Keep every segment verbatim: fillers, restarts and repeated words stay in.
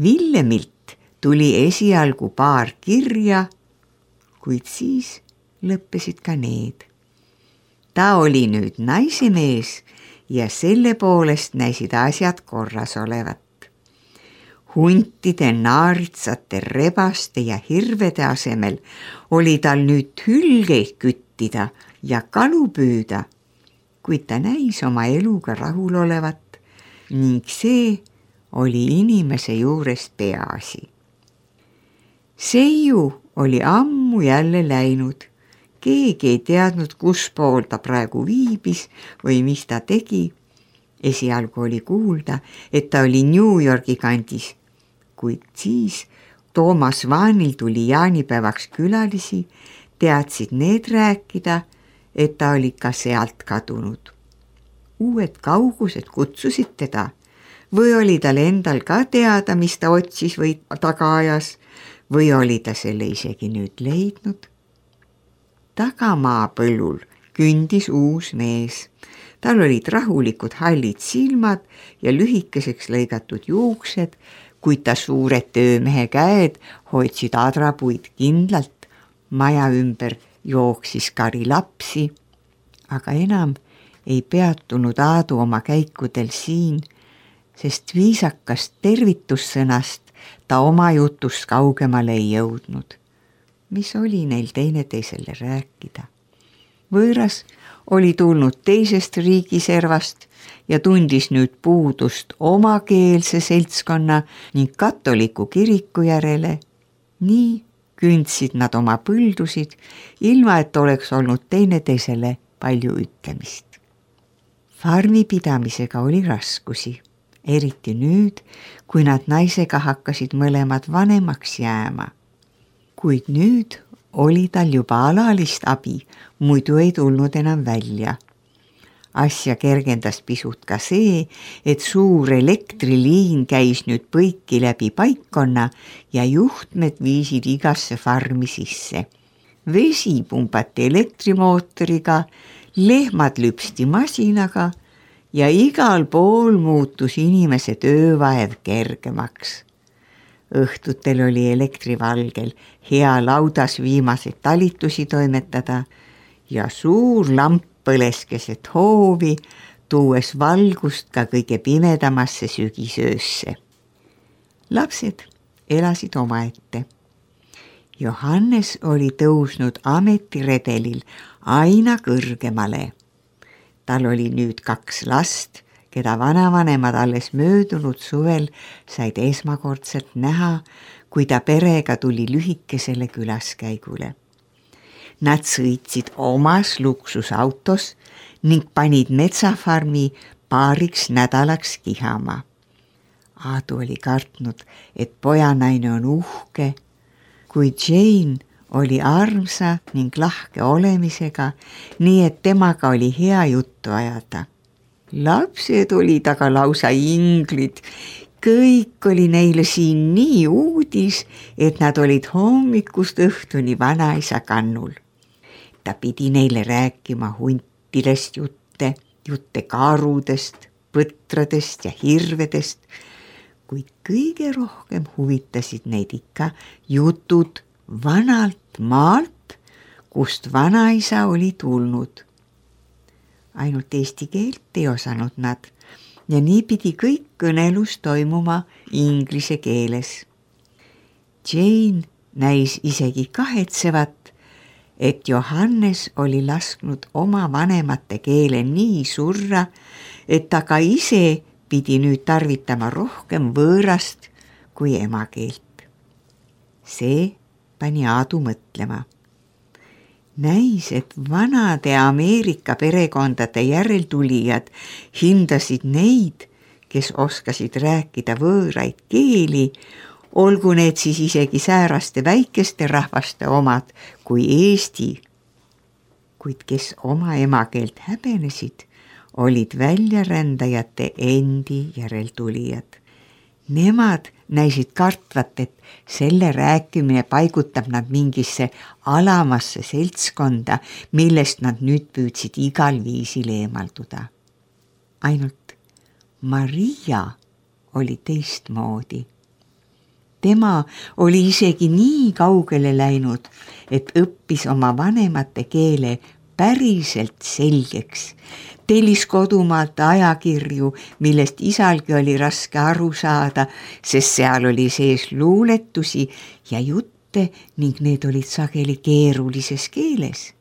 Villemilt tuli esialgu paar kirja, kuid siis lõppesid ka need. Ta oli nüüd naisemees ja selle poolest näisid asjad korras olevat. Huntide, naaritsate, rebaste ja hirvede asemel oli tal nüüd hülgeid küttida ja kalu püüda, kuid ta näis oma eluga rahul olevat ning see oli inimese juures peaasi. Seiu oli ammu jälle läinud. Keegi ei teadnud, kus pool ta praegu viibis või mis ta tegi. Esialgu oli kuulda, et ta oli New Yorgi kandis, kuid siis Toomas Vaanil tuli jaanipäevaks külalisi, teadsid need rääkida, et ta oli ka sealt kadunud. Uued kaugused kutsusid teda või oli tal endal ka teada, mis ta otsis või taga ajas või oli ta selle isegi nüüd leidnud. Tagamaa põllul kündis uus mees. Tal olid rahulikud hallid silmad ja lühikeseks lõigatud juuksed, kuid ta suured töömehe käed hoidsid adrapuid kindlalt. Maja ümber jooksis kari lapsi, aga enam ei peatunud Aadu oma käikudel siin, sest viisakast tervitussõnast ta oma jutust kaugemale ei jõudnud. Mis oli neil teineteisele rääkida? Võõras oli tulnud teisest riigiservast ja tundis nüüd puudust omakeelse seltskonna ning katoliku kiriku järele. Nii kündsid nad oma põldusid, ilma et oleks olnud teineteisele palju ütlemist. Farmipidamisega oli raskusi, eriti nüüd, kui nad naisega hakkasid mõlemad vanemaks jääma. Kuid nüüd oli tal juba alalist abi, muidu ei tulnud enam välja. Asja kergendas pisut ka see, et suur elektriliin käis nüüd põiki läbi paikkonna ja juhtmed viisid igasse farmi sisse. Vesi pumbati elektrimootoriga, lehmad lüpsti masinaga ja igal pool muutus inimese töövaev kergemaks. Õhtutel oli elektrivalgel hea laudas viimaseid talitusi toimetada ja suur lamp põles keset hoovi, tuues valgust ka kõige pimedamasse sügisöösse. Lapsed elasid omaette. Johannes oli tõusnud ametiredelil aina kõrgemale. Tal oli nüüd kaks last, keda vanavanemad alles möödunud suvel said esmakordselt näha, kui ta perega tuli lühikesele külaskäigule. Nad sõitsid omas luksusautos ning panid metsafarmi paariks nädalaks kihama. Aadu oli kartnud, et pojanaine on uhke, kuid Jane oli armsa ning lahke olemisega, nii et temaga oli hea juttu ajada. Lapsed olid aga lausa inglid. Kõik oli neile siin nii uudis, et nad olid hommikust õhtuni vanaisa kannul. Ta pidi neile rääkima huntidest jutte, jutte karudest, põtradest ja hirvedest, kuid kõige rohkem huvitasid neid ikka jutud vanalt maalt, kust vanaisa oli tulnud. Ainult eesti keelt ei osanud nad ja nii pidi kõik kõnelus toimuma inglise keeles. Jane näis isegi kahetsevat, et Johannes oli lasknud oma vanemate keele nii surra, et ta ka ise pidi nüüd tarvitama rohkem võõrast kui emakeelt. See pani Aadu mõtlema. Näis, et vanade Ameerika perekondade järeltulijad hindasid neid, kes oskasid rääkida võõraid keeli, olgu need siis isegi sääraste väikeste rahvaste omad kui Eesti. Kuid kes oma emakeelt häbenesid, olid väljarändajate endi järeltulijad. Nemad näisid kartvat, et selle rääkimine paigutab nad mingisse alamasse seltskonda, millest nad nüüd püüdsid igal viisil eemalduda. Ainult Maria oli teistmoodi. tema oli isegi nii kaugele läinud, et õppis oma vanemate keele päriselt selgeks. Tellis kodumaalt ajakirju, millest isalgi oli raske aru saada, sest seal oli sees luuletusi ja jutte ning need olid sageli keerulises keeles.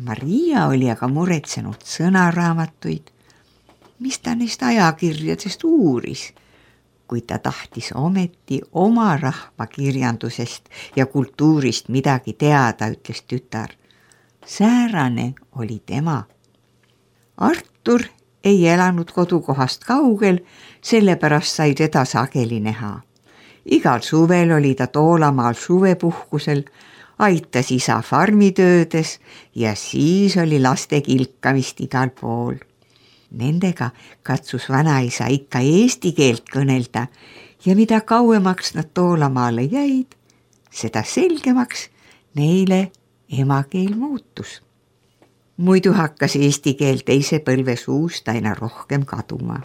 Maria oli aga muretsenud sõnaraamatuid, mis ta neist ajakirjadest uuris, kuid ta tahtis ometi oma rahva kirjandusest ja kultuurist midagi teada, ütles tütar. Säärane oli tema. Artur ei elanud kodukohast kaugel, sellepärast sai teda sageli näha. Igal suvel oli ta Toolamaal suvepuhkusel, aitas isa farmitöödes ja siis oli laste kilkamist igal pool. Nendega katsus vanaisa ikka eesti keelt kõnelda ja mida kauemaks nad Toolamaale jäid, seda selgemaks neile emakeel muutus. Muidu hakkas eesti keel teise põlve suust aina rohkem kaduma.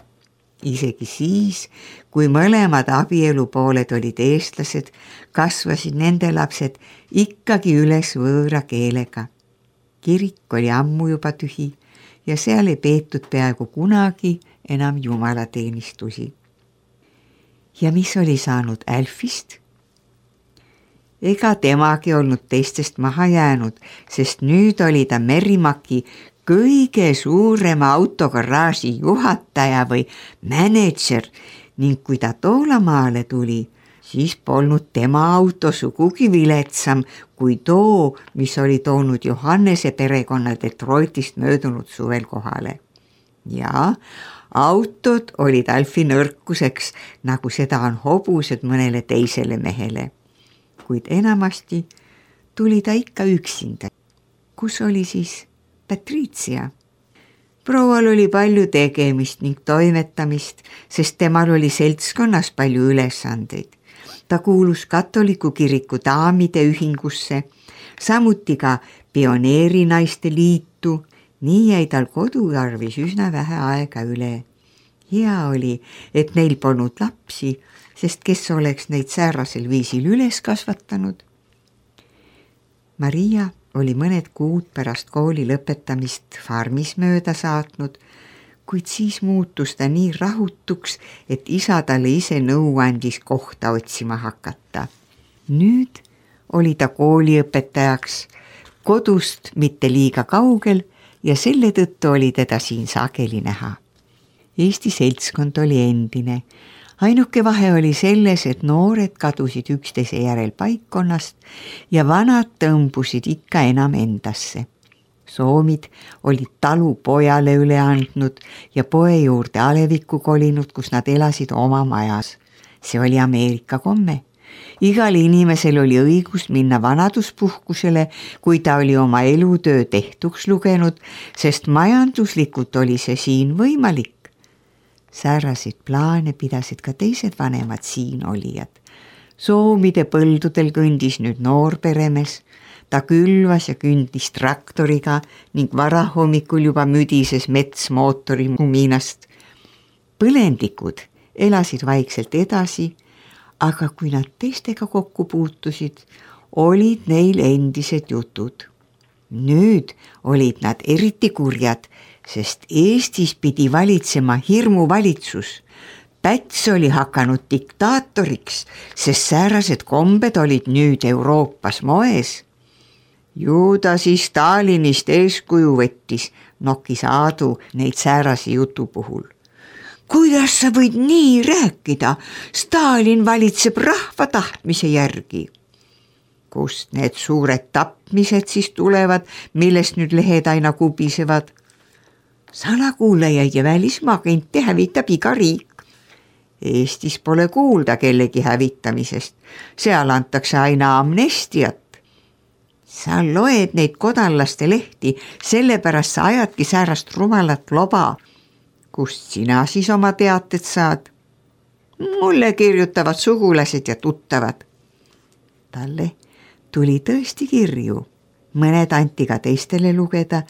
Isegi siis, kui mõlemad abielupooled olid eestlased, kasvasid nende lapsed ikkagi üles võõra keelega. Kirik oli ammu juba tühi ja seal ei peetud peaaegu kunagi enam jumalateenistusi. Ja mis oli saanud Alfist? Ega temagi olnud teistest maha jäänud, sest nüüd oli ta Merrimaki kõige suurema autogaraaži juhataja või mänedžer ning kui ta Toolamaale tuli, siis polnud tema auto sugugi viletsam kui too, mis oli toonud Johannese perekonna Detroitist möödunud suvel kohale. Ja autod olid Alfi nõrkuseks, nagu seda on hobused mõnele teisele mehele. Kuid enamasti tuli ta ikka üksinda. Kus oli siis Patricia? Proual oli palju tegemist ning toimetamist, sest temal oli seltskonnas palju ülesandeid. Ta kuulus katoliku kiriku daamide ühingusse, samuti ka pioneerinaiste liitu, nii jäi tal koduarvis üsna vähe aega üle. Hea oli, et neil polnud lapsi, sest kes oleks neid säärasel viisil üles kasvatanud. Maria oli mõned kuud pärast kooli lõpetamist farmis mööda saatnud, kuid siis muutus ta nii rahutuks, et isa talle ise nõu andis kohta otsima hakata. Nüüd oli ta kooliõpetajaks kodust mitte liiga kaugel ja selle tõttu oli teda siin sageli näha. Eesti seltskond oli endine. Ainuke vahe oli selles, et noored kadusid üksteise järel paikkonnast ja vanad tõmbusid ikka enam endasse. Soomid olid talu pojale üle andnud ja poe juurde alevikku kolinud, kus nad elasid oma majas. See oli Ameerika komme. Igal inimesel oli õigus minna vanaduspuhkusele, kui ta oli oma elutöö tehtuks lugenud, sest majanduslikult oli see siin võimalik. Säärasid plaane pidasid ka teised vanemad siin olijad. Soomide põldudel kõndis nüüd noor peremees. Ta külvas ja kündis traktoriga ning varahommikul juba müdises metsmootori kuminast. Põlendikud elasid vaikselt edasi, aga kui nad teistega kokku puutusid, olid neil endised jutud. Nüüd olid nad eriti kurjad, sest Eestis pidi valitsema hirmuvalitsus. Päts oli hakanud diktaatoriks, sest säärased kombed olid nüüd Euroopas moes. Ju ta siis Stalinist eeskuju võttis, nokkis Aadu neid säärase jutu puhul. Kuidas sa võid nii rääkida? Stalin valitseb rahva tahtmise järgi. Kust need suured tapmised siis tulevad, millest nüüd lehed aina kubisevad? Salakuulajaid ja välismaagente hävitab iga riik. Eestis pole kuulda kellegi hävitamisest. Seal antakse aina amnestiat. Sa loed neid kodanlaste lehti, sellepärast sa ajadki säärast rumalat loba. Kust sina siis oma teated saad? Mulle kirjutavad sugulased ja tuttavad. Talle tuli tõesti kirju. Mõned anti ka teistele lugeda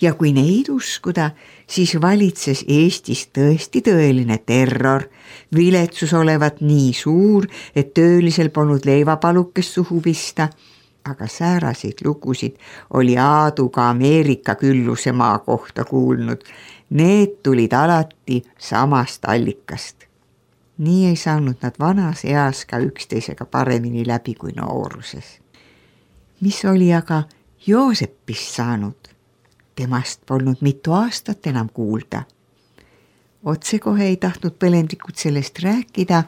Ja kui neid uskuda, siis valitses Eestis tõesti tõeline terror. Viletsus olevat nii suur, et töölisel polnud leivapalukest suhu pista. Aga sääraseid lugusid oli Aadu ka Ameerika külluse maa kohta kuulnud. Need tulid alati samast allikast. Nii ei saanud nad vanas eas ka üksteisega paremini läbi kui nooruses. Mis oli aga Joosepist saanud? Temast polnud mitu aastat enam kuulda. Otsekohe ei tahtnud põlendikud sellest rääkida,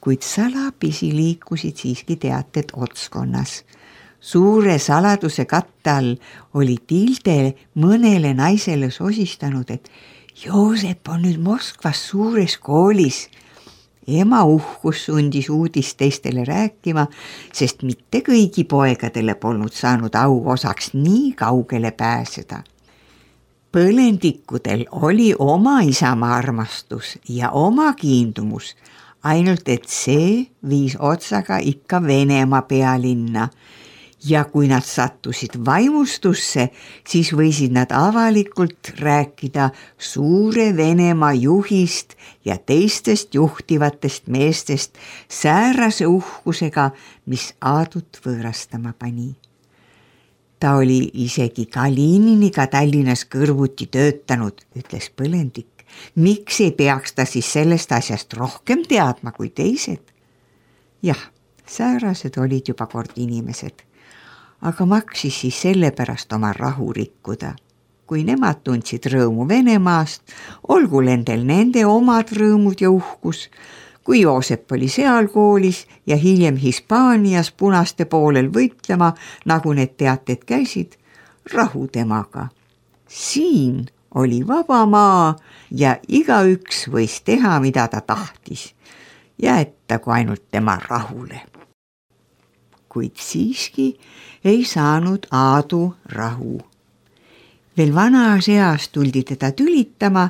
kuid salapisi liikusid siiski teated otskonnas. Suure saladuse katte all oli Tilde mõnele naisele sosistanud, et Joosep on nüüd Moskvas suures koolis. Ema uhkus sundis uudist teistele rääkima, sest mitte kõigi poegadele polnud saanud au osaks nii kaugele pääseda. Põlendikudel oli oma isamaa armastus ja oma kiindumus, ainult et see viis otsaga ikka Venemaa pealinna. Ja kui nad sattusid vaimustusse, siis võisid nad avalikult rääkida suure Venemaa juhist ja teistest juhtivatest meestest säärase uhkusega, mis Aadut võõrastama pani. Ta oli isegi Kalininiga Tallinnas kõrvuti töötanud, ütles põlendik. Miks ei peaks ta siis sellest asjast rohkem teadma kui teised? Jah, säärased olid juba kord inimesed, aga maksis siis sellepärast oma rahu rikkuda. Kui nemad tundsid rõõmu Venemaast, olgu nendel nende omad rõõmud ja uhkus. Kui Joosep oli seal koolis ja hiljem Hispaanias punaste poolel võitlema, nagu need teated käisid, rahu temaga. Siin oli vaba maa ja igaüks võis teha, mida ta tahtis, jäetagu ainult tema rahule. Kuid siiski ei saanud Aadu rahu. Veel vanas eas tuldi teda tülitama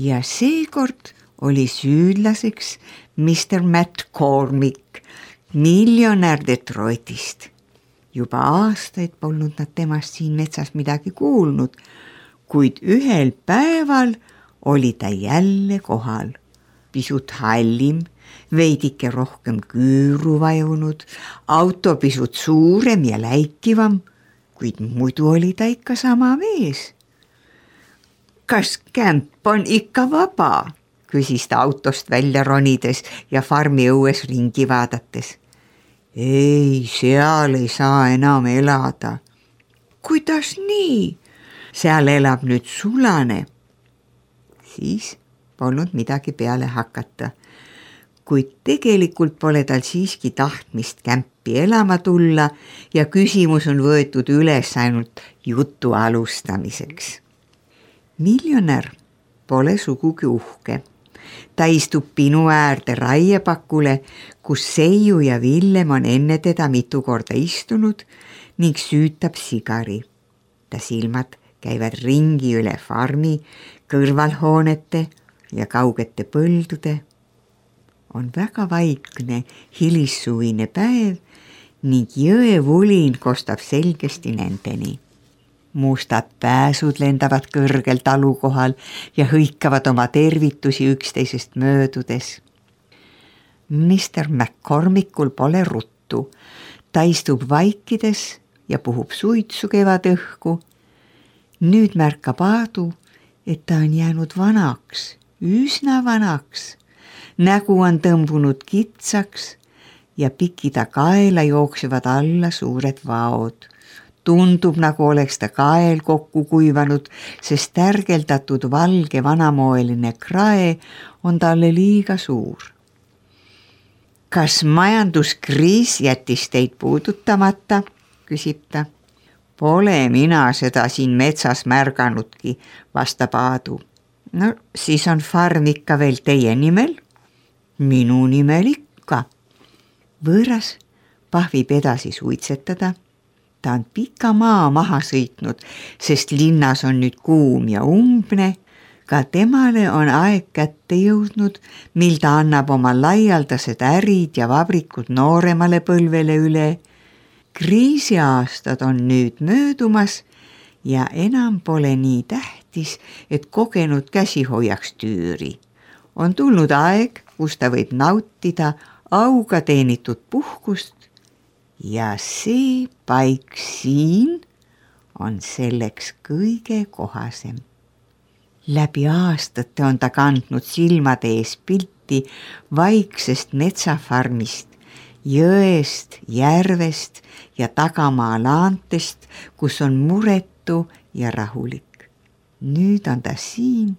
ja seekord oli süüdlaseks mister Matt Cormick, miljonär Detroitist. Juba aastaid polnud nad temast siin metsas midagi kuulnud, kuid ühel päeval oli ta jälle kohal. Pisut hallim, veidike rohkem küüru vajunud, auto pisut suurem ja läikivam, kuid muidu oli ta ikka sama mees. Kas kämp on ikka vaba? Küsis ta autost välja ronides ja farmi õues ringi vaadates. Ei, seal ei saa enam elada. Kuidas nii? Seal elab nüüd sulane. Siis polnud midagi peale hakata, kuid tegelikult pole tal siiski tahtmist kämpi elama tulla ja küsimus on võetud üles ainult jutu alustamiseks. Miljonär pole sugugi uhke. Ta istub pinu äärde raiepakule, kus Seiu ja Villem on enne teda mitu korda istunud ning süütab sigari. Ta silmad käivad ringi üle farmi, kõrvalhoonete ja kaugete põldude. On väga vaikne hilissuvine päev ning jõevulin kostab selgesti nendeni. Mustad pääsud lendavad kõrgel talukohal ja hõikavad oma tervitusi üksteisest möödudes. mister McCormickul pole ruttu. Ta istub vaikides ja puhub suitsu kevadõhku. Nüüd märkab Aadu, et ta on jäänud vanaks, üsna vanaks. Nägu on tõmbunud kitsaks ja pikida kaela jooksevad alla suured vaod. Tundub, nagu oleks ta kael kokku kuivanud, sest tärgeldatud valge vanamoeline krae on talle liiga suur. Kas majanduskriis jättis teid puudutamata, küsib ta. Pole mina seda siin metsas märganudki, vastab Aadu. No siis on farm ikka veel teie nimel? Minu nimel ikka. Võõras pahvib edasi suitsetada. Ta on pika maa maha sõitnud, sest linnas on nüüd kuum ja umbne. Ka temale on aeg kätte jõudnud, mil ta annab oma laialdased ärid ja vabrikud nooremale põlvele üle. Kriisiaastad on nüüd möödumas ja enam pole nii tähtis, et kogenud käsi hoiaks tüüri. On tulnud aeg, kus ta võib nautida auga teenitud puhkust ja see paik siin on selleks kõige kohasem. Läbi aastate on ta kandnud silmade ees pilti vaiksest metsafarmist, jõest, järvest ja tagamaa laantest, kus on muretu ja rahulik. Nüüd on ta siin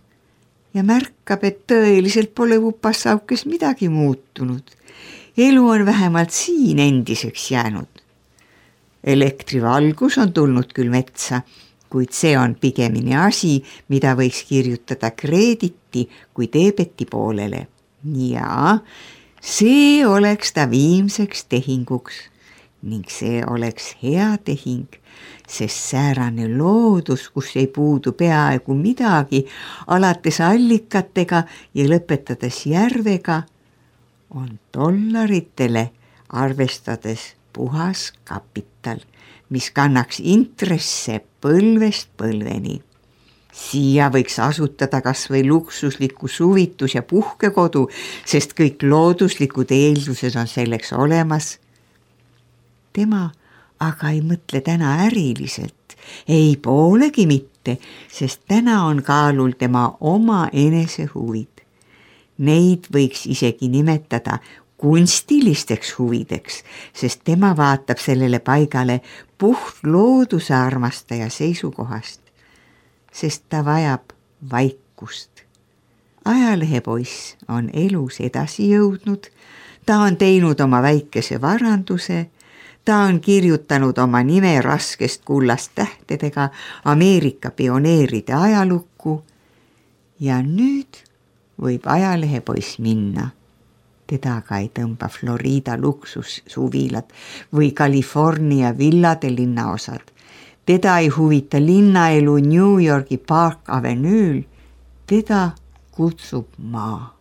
ja märkab, et tõeliselt pole upassaukes midagi muutunud. Elu on vähemalt siin endiseks jäänud. Elektrivalgus on tulnud küll metsa, kuid see on pigemini asi, mida võiks kirjutada kreediti kui debeti poolele. Ja see oleks ta viimseks tehinguks ning see oleks hea tehing, sest säärane loodus, kus ei puudu peaaegu midagi, alates allikatega ja lõpetades järvega, on dollaritele arvestades puhas kapital, mis kannaks intresse põlvest põlveni. Siia võiks asutada kas või luksusliku suvitus- ja puhkekodu, sest kõik looduslikud eeldused on selleks olemas. Tema aga ei mõtle täna äriliselt, ei poolegi mitte, sest täna on kaalul tema oma enese huvid. Neid võiks isegi nimetada kunstilisteks huvideks, sest tema vaatab sellele paigale puht looduse armastaja seisukohast, sest ta vajab vaikust. Ajalehepoiss on elus edasi jõudnud, ta on teinud oma väikese varanduse, ta on kirjutanud oma nime raskest kullast tähtedega Ameerika pioneeride ajalukku ja nüüd võib ajalehepoiss minna. Teda aga ei tõmba Florida luksussuvilad või California villade linnaosad. Teda ei huvita linnaelu New Yorgi Park Avenue'l, teda kutsub maa.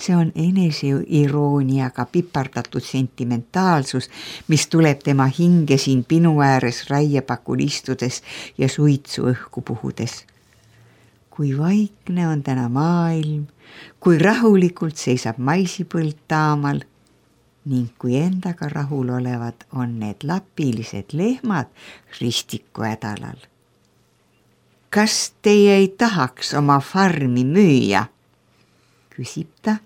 See on eneseirooniaga pipardatud sentimentaalsus, mis tuleb tema hinge siin pinu ääres raiepakul istudes ja suitsu õhku puhudes. Kui vaikne on täna maailm, kui rahulikult seisab maisipõld taamal ning kui endaga rahul olevad on need lapilised lehmad ristiku hädalal. Kas teie ei tahaks oma farmi müüa? Küsib ta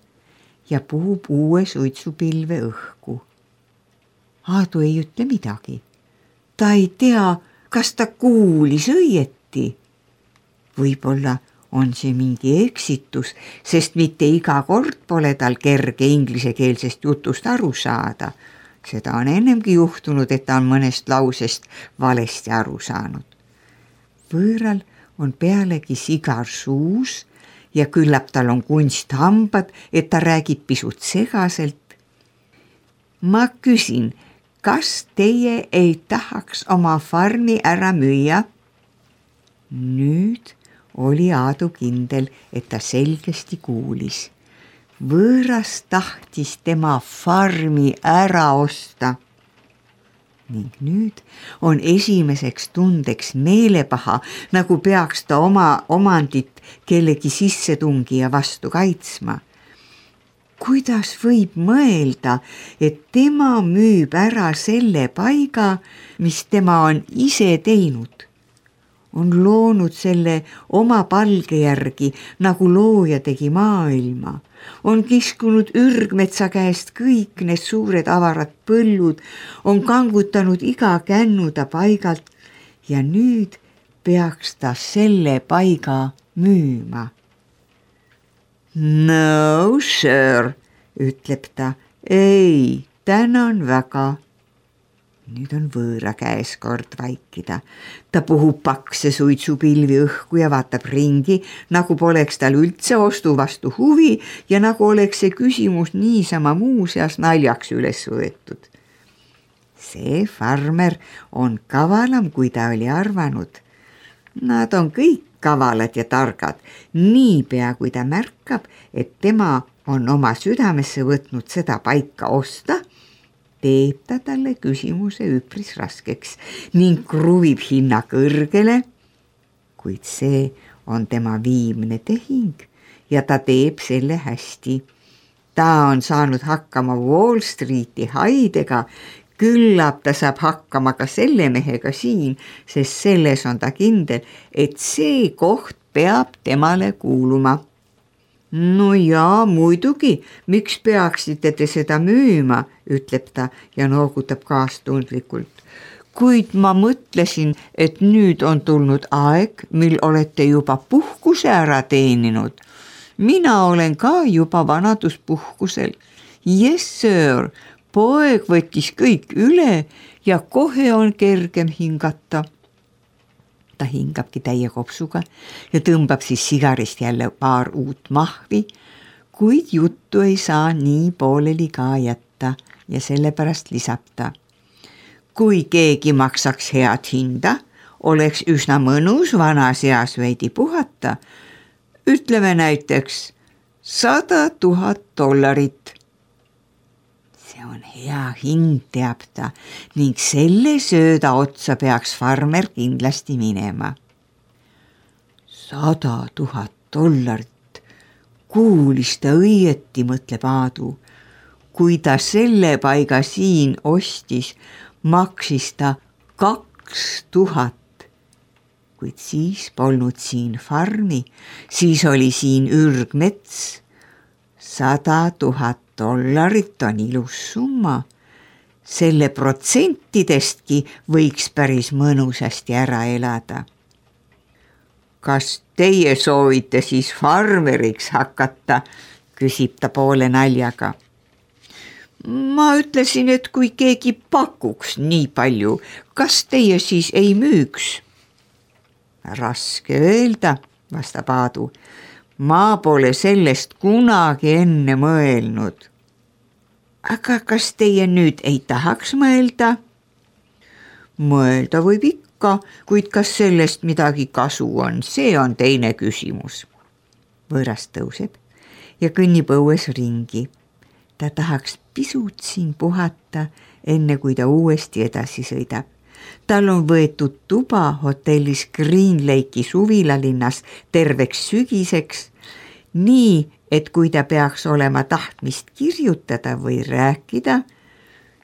ja puhub uue suitsupilve õhku. Aadu ei ütle midagi. Ta ei tea, kas ta kuulis õieti. Võib-olla on see mingi eksitus, sest mitte iga kord pole tal kerge inglisekeelsest jutust aru saada. Seda on ennemgi juhtunud, et ta on mõnest lausest valesti aru saanud. Võõral on pealegi sigar suus ja küllap tal on kunsthambad, et ta räägib pisut segaselt. Ma küsin, kas teie ei tahaks oma farmi ära müüa? Nüüd oli Aadu kindel, et ta selgesti kuulis. Võõras tahtis tema farmi ära osta. Ning nüüd on esimeseks tundeks meelepaha, nagu peaks ta oma omandit kellegi sissetungija vastu kaitsma. Kuidas võib mõelda, et tema müüb ära selle paiga, mis tema on ise teinud? On loonud selle oma palge järgi, nagu looja tegi maailma. On kiskunud ürgmetsa käest kõik need suured avarad põllud, on kangutanud iga kännu ta paigalt ja nüüd peaks ta selle paiga müüma. No sir, ütleb ta, ei, tänan väga. Nüüd on võõra käes kord vaikida. Ta puhub pakse suitsupilvi õhku ja vaatab ringi, nagu poleks tal üldse ostu vastu huvi ja nagu oleks see küsimus niisama muuseas naljaks üles võetud. See farmer on kavalam, kui ta oli arvanud. Nad on kõik kavalad ja targad, niipea kui ta märkab, et tema on oma südamesse võtnud seda paika osta, teeb ta talle küsimuse üpris raskeks ning kruvib hinna kõrgele, kuid see on tema viimne tehing ja ta teeb selle hästi. Ta on saanud hakkama Wall Streeti haidega, küllap ta saab hakkama ka selle mehega siin, sest selles on ta kindel, et see koht peab temale kuuluma. No jaa, muidugi, miks peaksite te seda müüma, ütleb ta ja noogutab kaastundlikult. Kuid ma mõtlesin, et nüüd on tulnud aeg, mil olete juba puhkuse ära teeninud. Mina olen ka juba vanaduspuhkusel. Yes, sir, poeg võttis kõik üle ja kohe on kergem hingata. Ta hingabki täie kopsuga ja tõmbab siis sigarist jälle paar uut mahvi, kuid juttu ei saa nii pooleli ka jätta ja sellepärast lisab ta. Kui keegi maksaks head hinda, oleks üsna mõnus vanas eas veidi puhata. Ütleme näiteks sada tuhat dollarit. See on hea hind, teab ta, ning selle sööda otsa peaks farmer kindlasti minema. Sada tuhat dollarit, kuulis ta õieti, mõtleb Aadu. Kui ta selle paiga siin ostis, maksis ta kaks tuhat, kuid siis polnud siin farmi, siis oli siin ürgmets. Sada tuhat dollarit on ilus summa. Selle protsentidestki võiks päris mõnusasti ära elada. Kas teie soovite siis farmeriks hakata, küsib ta poole naljaga. Ma ütlesin, et kui keegi pakuks nii palju, kas teie siis ei müüks? Raske öelda, vastab Aadu. Ma pole sellest kunagi enne mõelnud. Aga kas teie nüüd ei tahaks mõelda? Mõelda võib ikka, kuid kas sellest midagi kasu on, see on teine küsimus. Võõras tõuseb ja kõnnib õues ringi. Ta tahaks pisut siin puhata, enne kui ta uuesti edasi sõidab. Tal on võetud tuba hotellis Green Lake'i suvilalinnas terveks sügiseks, nii et kui ta peaks olema tahtmist kirjutada või rääkida,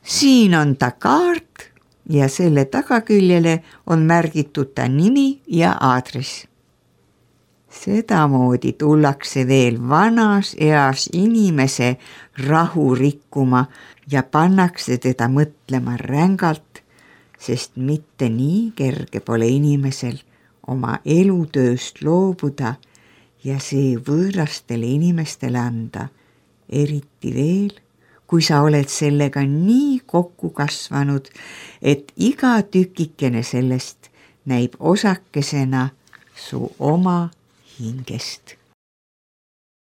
siin on ta kaart ja selle tagaküljele on märgitud ta nimi ja aadress. Sedamoodi tullakse veel vanas eas inimese rahu rikkuma ja pannakse teda mõtlema rängalt, sest mitte nii kerge pole inimesel oma elutööst loobuda ja see võõrastele inimestele anda, eriti veel, kui sa oled sellega nii kokku kasvanud, et iga tükikene sellest näib osakesena su oma hingest.